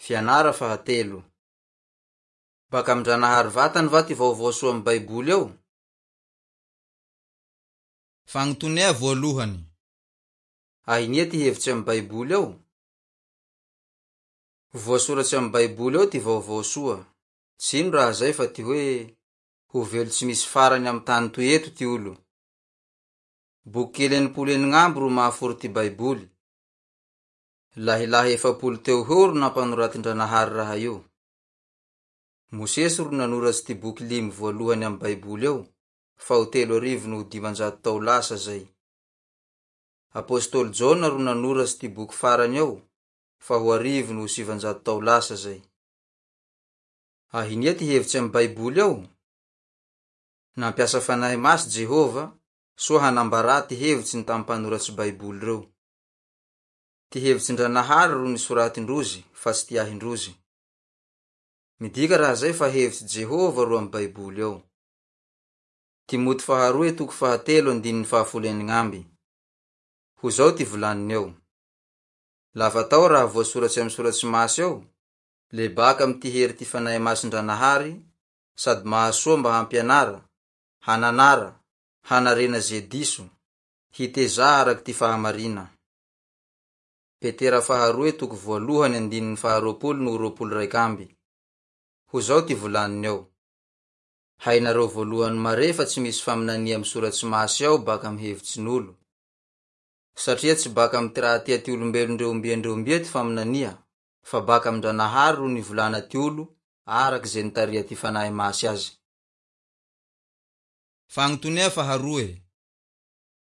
Fianara fahatelo. Baka amin-dRanahary vatany va ty vaovao soa amy Baiboly ao? Fagnotonea voalohany. Ahinia ty hevitsy amy Baiboly ao? Voasoratsy amy Baiboly ao ty vaovao soa. Tsy ino raha zay fa ty hoe ho velo tsy misy farany amy tany toy eto ty olo. Boky kely 66 ro mahaforo ty Baiboly. Lahilahy 40 teo ho eo ro nampanoratin-dRanahary raha io. Mosesy ro nanoratsy ty boky limy voalohany amy Baiboly ao, fa ho 533 tao lasa zay. Apostoly Jaona ro nanoratsy ty boky farany ao, fa ho 901 tao lasa zay. Ahinia ty hevitsy amy Baiboly ao? Nampiasa fanahy masy Jehovah, soa hanambarà ty hevitsy ny tamy mpanoratsy Baiboly reo. Ty hevitsin-dRanahary ro nisoratin-drozy fa tsy ty ahin-drozy. Midika raha zay fa hevitsy Jehovah ro amy Baiboly ao. Timoty faharoe toko fahatelo andininy faha-16. Ho zao ty volaniny eo. Lafa atao raha voasoratsy amy soratsy masy ao, le baka amy ty hery ty fanahy masin-dRanahary, sady mahasoa mba hampianara, hananara, hanarena ze diso, hitezà araky ty fahamarina. Petera faharoe toko voalohany andininy faha-20 no 21. Ho zao ty volaniny eo. Hainareo voalohany mare fa tsy misy faminania amy soratsy masy ao baka amy hevitsin'olo. Satria tsy baka amy ty raha tia ty olombelo ndre ombia ndre ombia ty faminania, fa baka amin-dRanahary ro nivolana ty olo, araky ze nitaria ty fanahy masy azy. Fagnotonea faharoe.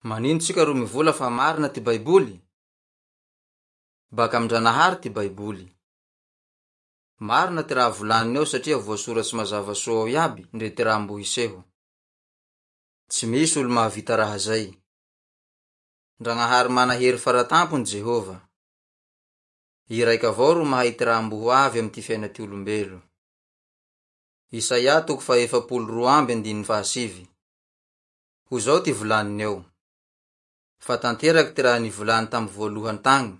Manino tsika ro mivola fa marina ty Baiboly? Baka amin-dRanahary ty Baiboly. Marina ty raha volaniny ao satria voasoratsy mazava soa ao iaby ndre ty raha mbo hiseho. Tsy misy olo mahavita raha zay. Ndragnahary mana hery faratampony Jehovah. I raika avao ro mahay ty raha mbo ho avy amy ty fiaina ty olombelo. Isaia toko faha-42 andininy faha-9. Ho zao ty volaniny eo. Fa tanteraky ty raha nivolany tamy voalohany tagny,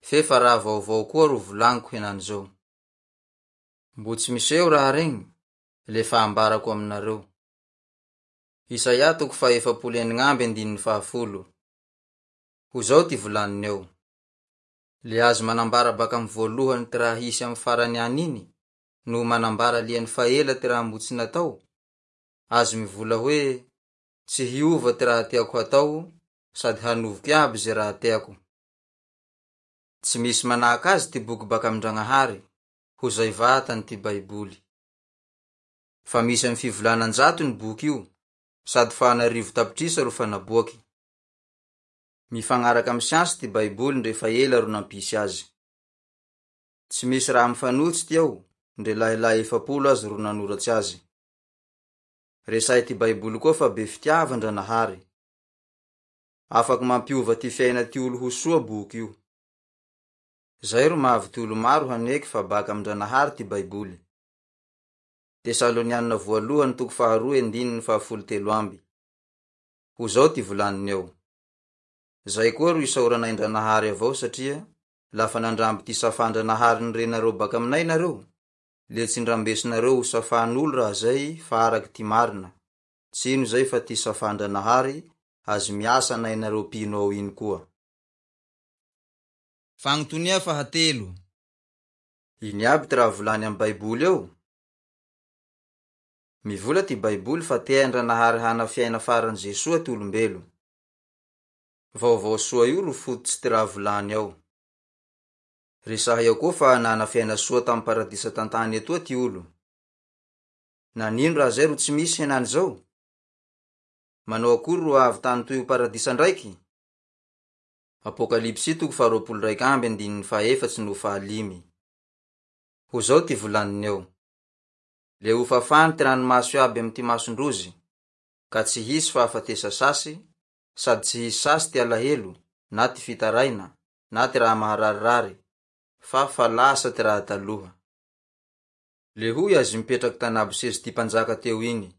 fe fa raha vaovao koa ro volagniko henany zao. Mbo tsy miseho raha regny, le fa ambarako aminareo. Isaia toko faha-46 andininy faha-10. Ho zao ty volaniny eo. Le azo manambara baka amy voalohany ty raha hisy amy farany any iny, no manambara liany faela ty raha mbo tsy natao. Azo mivola hoe, tsy hiova ty raha tiako hatao, sady hanovoko iaby ze raha teako. Tsy misy manahaka azy ty boky baka amin-dRagnahary, ho zay vatany ty Baiboly. Fa misy amy fivolana an-jato ny boky io, sady fa an'arivo tapitrisa ro fa naboaky. Mifagnaraka amy siansy ty Baiboly ndre fa ela ro nampisy azy. Tsy misy raha mifanohitsy ty ao, ndre lahilahy 40 azy ro nanoratsy azy. Resahy ty Baiboly koa fa be fitiava Ndranahary. Afaky mampiova ty fiaina ty olo ho soa boky io. Zay ro mahavy ty olo maro haneky fa baka amin-dRanahary ty Baiboly. Tesalonianina voalohany toko faharoe andininy faha-13. Ho zao ty volaniny eo. Zay koa ro isaoranay Ndranahary avao satria lafa nandramby ty safan-dRanahary nirenareo baka aminay nareo, le tsy ndrambesinareo ho safan'olo raha zay fa araky ty marina. Tsy ino zay fa ty safan-dRanahary azy miasa anainareo mpino ao iny koa. Fagnotonia fahatelo. Ino iaby ty raha volany amy Baiboly ao? Mivola ty Baiboly fa tea Ndranahary hana fiaina farany ze soa ty olombelo. Vaovao soa io ro fototsy ty raha volany ao. Resahy ao koa fa nana fiaina soa tamy paradisa tan-tany etoa ty olo. Nanino raha zay ro tsy misy henany zao? Manao akory ro avy tany toy ho paradisa ndraiky? Apokalypsy toko faha-21 andininy faha-4 no faha-5. Ho zao ty volaniny eo. Le ho fafany ty ranomaso iaby amy ty mason-drozy, ka tsy hisy fahafatesa sasy, sady tsy hisy sasy ty alahelo, na ty fitaraina, na ty raha mahararirary, fa fa lasa ty raha taloha. Le hoy azy mipetraky tanabo sezy ty mpanjaka teo igny.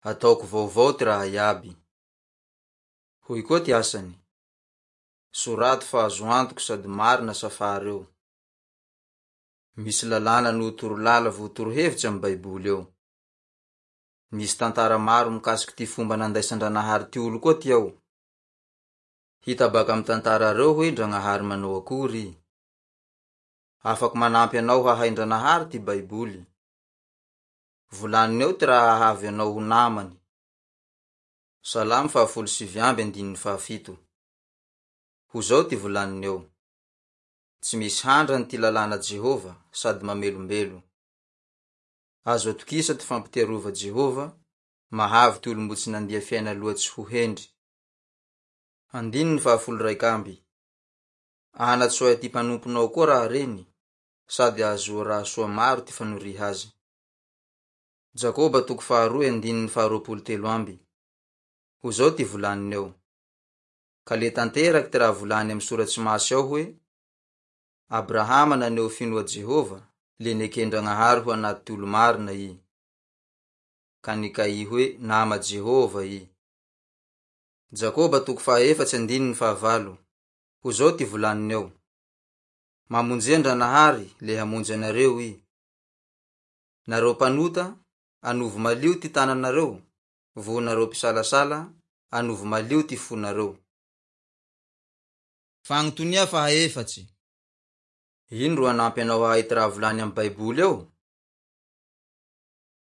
Ataoko vaovao ty raha iaby. Hoy koa ty asany. Sorato fa azo antoky sady marina safareo. Misy lalàna noho toro-lala vo torohevitsy amy Baiboly ao. Misy tantara maro mikasiky ty fomba nandaisan-dranahary ty olo koa ty ao. Hita baka amy tantara reo hoe Ndragnahary manao akory i. Afaky manampy anao hahay Ndranahary ty Baiboly. Volaniny ao ty raha hahavy anao ho namany. Salamo faha-19 andininy faha-7. Ho zao ty volaniny ao: Tsy misy handrany ty lalàna Jehovah sady mamelombelo. Azo atokisa ty fampitiarova Jehovah, mahavy ty olo mbo tsy nandia fiaina loatsy ho hendry. Andininy faha-11. Anatsoay ty mpanomponao koa raha reny, sady ahazoa raha soa maro ty fanoriha azy. Jakoba toko faharoe andininy faha-23. Ho zao ty volaniny ao: Ka le tanteraky ty raha volany amy soratsy masy ao hoe: Abrahama naneho finoa Jehovah, le neken-dragnahary ho anaty ty olo marina i. Ka nikaihy hoe nama Jehovah i. Jakoba toko faha-4 andininy faha-8. Ho zao ty volaniny ao: Mamonjea Ndranahary le hamonjy anareo i. Nareo mpanota, anovo malio ty tananareo, vo nareo mpisalasala, anovo malio ty fonareo. Fagnotonia faha-4. Ino ro hanampy anao hahay ty raha volany amy Baiboly ao?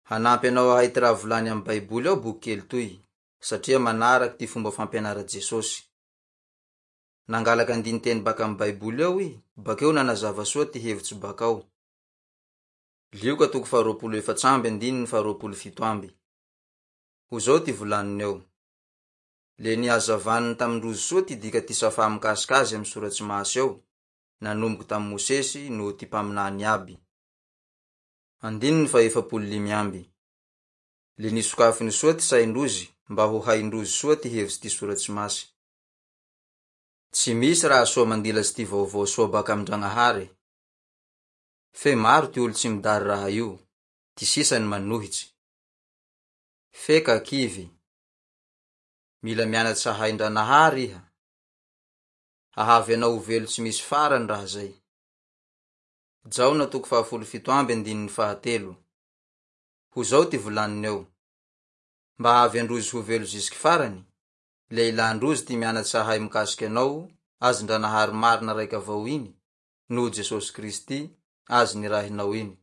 Hanampy anao hahay ty raha volany amy Baiboly ao boky kely toy, satria manaraky ty fomba fampianara Jesosy. Nangalaky andinin-teny baka amy Baiboly ao i, bakeo nanazava soa ty hevitsy bakao. Lioka toko faha-24 andininy faha-27. Ho zao ty volaniny ao: Le nihazavaniny tamin-drozy soa ty dika ty safa mikasiky azy amy soratsy masy ao, nanomboky tamy Mosesy noho ty mpaminany iaby. Andininy faha-45. Le nisokafiny soa ty sain-drozy mba ho hain-drozy soa ty hevitsy ty soratsy masy. Tsy misy raha soa mandilatsy ty vaovao soa baka amin-dragnahary. Fe maro ty olo tsy midary raha io, ty sisany manohitsy. Fe ka kivy. Mila mianatsy hahay Ndranahary iha. Hahavy anao ho velo tsy misy farany raha zay. Jaona toko faha-17 andininy faha-3. Ho zao ty volaniny ao: Mba hahavy androzy ho velo zisiky farany, le ilan-drozy ty mianatsy hahay mikasiky anao, azy Ndranahary marina raiky avao iny, noho Jesosy Kristy, azy nirahinao iny.